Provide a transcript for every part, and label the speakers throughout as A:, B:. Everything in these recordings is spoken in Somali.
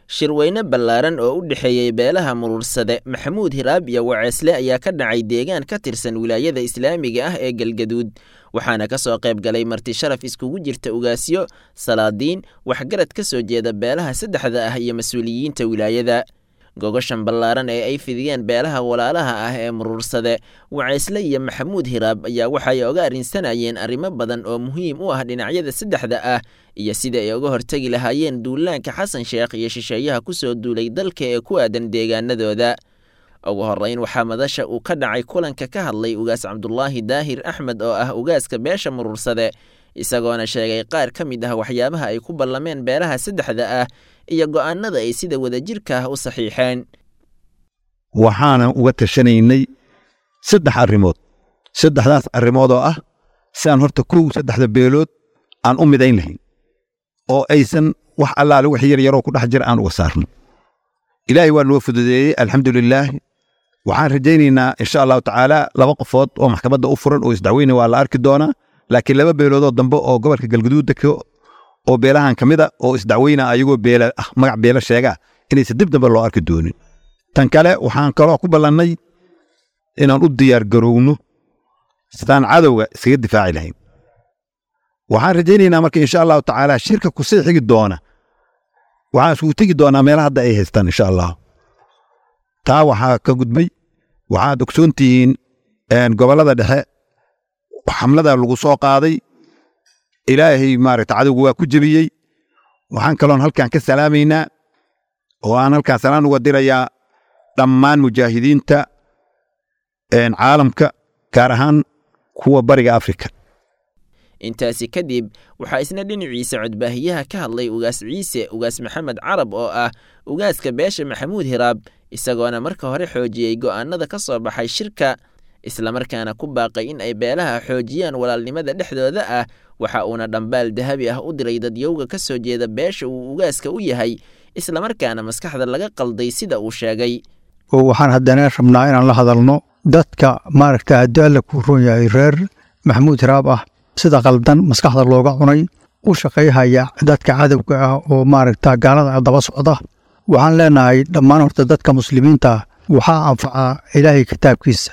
A: Shirweyne ballaaran oo u dhexeeyey beelaha Muruursade, Maxamuud Hiraab iyo Waceesle ayaa ka dhacay deegaan ka tirsan wilaayada islaamiga ah ee Galgaduud, waxaana ka soo qayb galay marti sharaf iskugu jirta ugaasyo, salaadiin, waxgarad ka soo jeeda beelaha saddexda ah iyo mas-uuliyiinta wilaayada. Gogoshan ballaaran ee ay fidiyeen beelaha walaalaha ah ee Muruursade, Waceesle iyo Maxamuud Hiraab ayaa waxay oga arrinsanayeen arrimo badan oo muhiim u ah dhinacyada saddexda ah iyo sida ay uga hortegi lahaayeen duulaanka Xasan Sheekh iyo shisheeyaha ku soo duulay dalka ee ku aadan deegaanadooda. Ugu horreyn, waxaa madasha uu ka dhacay kulanka ka hadlay Ugaas Cabdulaahi Daahir Axmed oo ah ugaaska beesha Muruursade, isagoona sheegay qaar ka mid ah waxyaabaha ay ku ballameen beelaha saddexda ah iyo go'aanada ay sida wadajirka ah u saxiixeen.
B: Waxaanan uga tashanaynay saddex arrimood, saddexdaas arrimood oo ah si aan horta kow saddexda beelood aan u midayn lahayn oo aysan wax allaale wax yar yaroo ku dhex jira aan uga saarno. Ilaahay waa noo fududeeyey, alxamdulilaah. Waxaan rajaynaynaa insha Allahu tacaala laba qofood oo maxkamadda u furan oo isdacweyne waa la arki doonaa, laakiin laba beeloodoo dambe oo gobolka Galgaduud degto oo beelahan ka mid a oo isdacweyna ayagoo beela ah magac beela sheega inaysan dib dambe loo arki doonin. Tan kale, waxaan kaloo ku ballannay inaan u diyaar garowno sidaan cadowga iskaga difaaci lahayn. Waxaan rajaynaynaa marka insha Allahu tacaala shirka kusii xigi doona waxaan isugu tegi doonaa meelaha hadda ay haystaan insha Allah. Taa waxaa ka gudbay, waxaad ogsoontihiin gobollada dhexe xamlada lagu soo qaaday, Ilaahay maaragta cadowga waa ku jebiyey. Waxaan kaloon halkan ka salaamaynaa oo aan halkaan salaan uga dirayaa dhammaan mujaahidiinta caalamka, gaar ahaan kuwa Bariga Afrika.
A: Intaasi kadib, waxaa isna dhinaciisa codbaahiyaha ka hadlay Ugaas Ciise Ugaas Maxamed Carab oo ah ugaaska beesha Maxamuud Hiraab, isagoona marka hore xoojiyey go'aanada ka soo baxay shirka, islamarkaana ku baaqay in ay beelaha xoojiyaan walaalnimada dhexdooda ah. Waxa uuna dhambaal dahabi ah u diray dadyowga ka soo jeeda beesha uu ugaaska u yahay, islamarkaana maskaxda laga qalday sida uu sheegay.
C: Oo waxaan haddana rabnaa inaan la hadalno dadka maaragta haddii Alla kuu roon yahay reer Maxamuud Hiraab ah, sida qaldan maskaxda looga cunay, u shaqayhaya dadka cadowga ah oo maaragta gaalada daba socda. Waxaan leenahay dhammaan horta dadka muslimiinta waxaa anfacaa Ilaahay kitaabkiisa.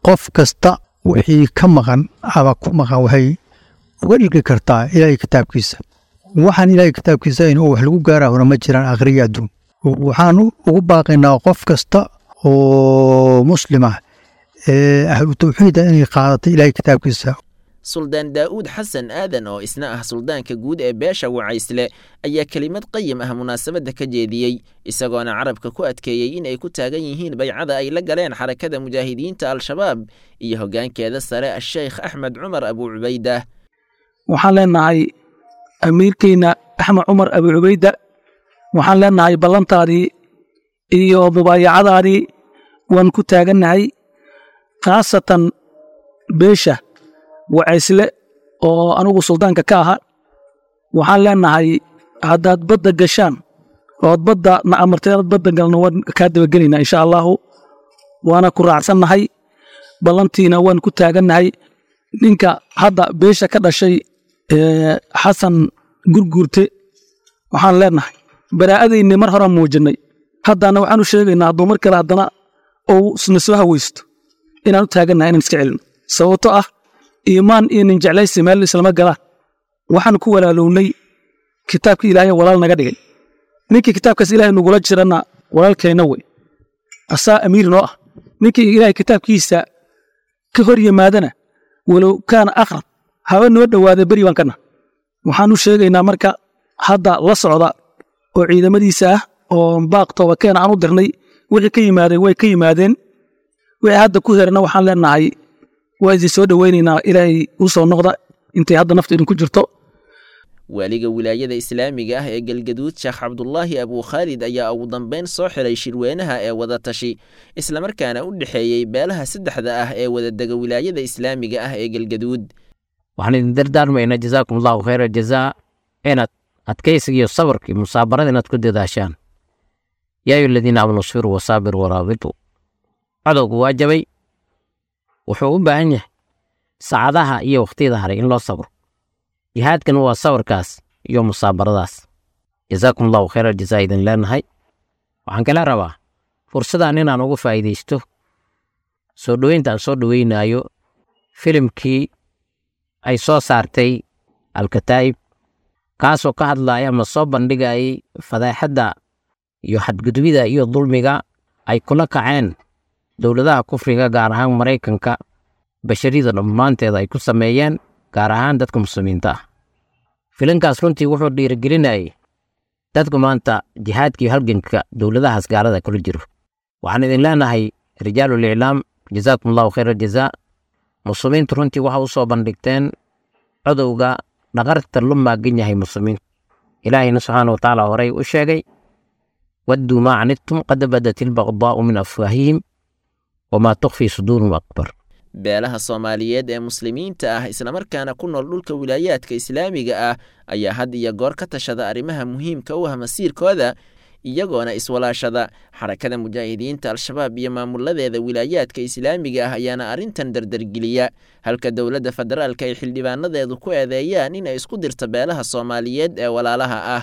C: Qof kasta wixii ka maqan ama ku maqan waxay uga dhigi kartaa Ilaahay kitaabkiisa. Waxaan Ilaahay kitaabkiisa in wax lagu gaarahuna ma jiraan akhriya adduun. Waxaan ugu baaqaynaa qof kasta oo muslima ee ahlu tawxiida inay qaadatay Ilaahay kitaabkiisa.
A: Suldaan Daa'uud Xasan Aadan oo isna ah suldaanka guud ee beesha Wacaysle ayaa kelimad qayim ah munaasabadda ka jeediyey, isagoona carabka ku adkeeyey in ay ku taagan yihiin baycada ay la galeen Xarakada Mujaahidiinta Al-Shabaab iyo hoggaankeeda sare Asheykh Axmed Cumar Abu Cubayda.
D: Waxaan leenahay amiirkeyna Axmed Cumar Abu Cubayda, waxaan leenahay ballantaadii iyo mubaayacadaadii waan ku taagannahay, khaasatan beesha Wacaysle oo anugu suldaanka ka ahaa. Waxaan leenahay haddaad badda gashaan ood badda na amartay inaad badda galno, waan kaa dabagelaynaa insha Allaahu, waana ku raacsannahay, ballantiina waan ku taagannahay. Ninka hadda beesha ka dhashay Xasan Gurguurte waxaan leenahay baraa'adaynay mar horaan muujinnay, haddana waxaan u sheegaynaa hadduu mar kale haddana uu isna soo hawaysto inaan u taagannahay inaan iska celino, sababto ah iimaan iyo nin jeclaysi meel islama galaan. Waxaan ku walaalownay kitaabka Ilaahay walaal naga dhigay. Ninkii kitaabkaas Ilaahay nagula jirana walaalkayna wey, asaa amiir noo ah. Ninkii Ilaahay kitaabkiisa ka hor yimaadana, walow kaana aqrab, haba noo dhowaada, beri baan kana. Waxaan u sheegaynaa marka hadda la socda oo ciidamadiisa ah oo baaq toobakeena aan u dirnay, wixii ka yimaaday way ka yimaadeen, wixii hadda ku herana waxaan leenahay waa idin soo dhoweynaynaa, Ilaahay u soo noqda intay hadda naftu idinku jirto.
A: Waaliga wilaayada islaamiga ah ee Galgaduud Sheekh Cabdulaahi Abukhaalid ayaa ugu dambeyn soo xiray shirweynaha ee wadatashi islamarkaana u dhexeeyey beelaha saddexda ah ee wadadega wilaayada islaamiga ah ee Galgaduud.
E: Waxaan idin dardaarmaynaa, jazaakum Allahu khayra jazaa, inaad adkaysiga iyo sabarka iyo musaabarada inaad ku dadaashaan. Yaa ayu aladiina aamanuu isbiruu wasaabiru waraabituu. Cadowgu waa jabay, wuxuu u baahan yahay saacadaha iyo wakhtiyada haray in loo sabro. Jihaadkan waa sabarkaas iyo musaabaradaas. Jazaakum Allahu khayra jazaa idin leenahay. Waxaan kala rabaa fursadan inaan uga faa'iidaysto soo dhoweynta aan soo dhoweynayo filimkii ay soo saartay Alkataa'ib, kaasoo ka hadlaya ama soo bandhigayay fadeexadda iyo xadgudubida iyo dulmiga ay kula kaceen dowladaha kufriga, gaar ahaan Maraykanka, basharida dhammaanteeda ay ku sameeyeen, gaar ahaan dadka muslimiinta ah. Filinkaas runtii wuxuu dhiirigelinayay dadku maanta jihaadka iyo halganka dowladahaas gaalada kula jiro. Waxaan idin leenahay, rijaalul iclaam, jazaakum Allahu khayra jazaa. Muslimiintu runtii waxa u soo bandhigteen codowga dhaqarta lu maagan yahay muslimiinta. Ilaahayna subxaana watacaala horey u sheegay: wadduu maa canidtum qad badat ilbaqdaa'u min afwaahihim wamaa tukfii suduuruhum akbar.
A: Beelaha Soomaaliyeed ee muslimiinta ah, islamarkaana ku nool dhulka wilaayaadka islaamiga ah, ayaa had iyo goor ka tashada arrimaha muhiimka u ah masiirkooda, iyagoona iswalaashada. Xarakada Mujaahidiinta Al-Shabaab iyo maamuladeeda wilaayaadka islaamiga ah ayaana arrintan dardargeliya, halka dowladda federaalka ay xildhibaanadeedu ku eedeeyaan inay isku dirto beelaha Soomaaliyeed ee walaalaha ah.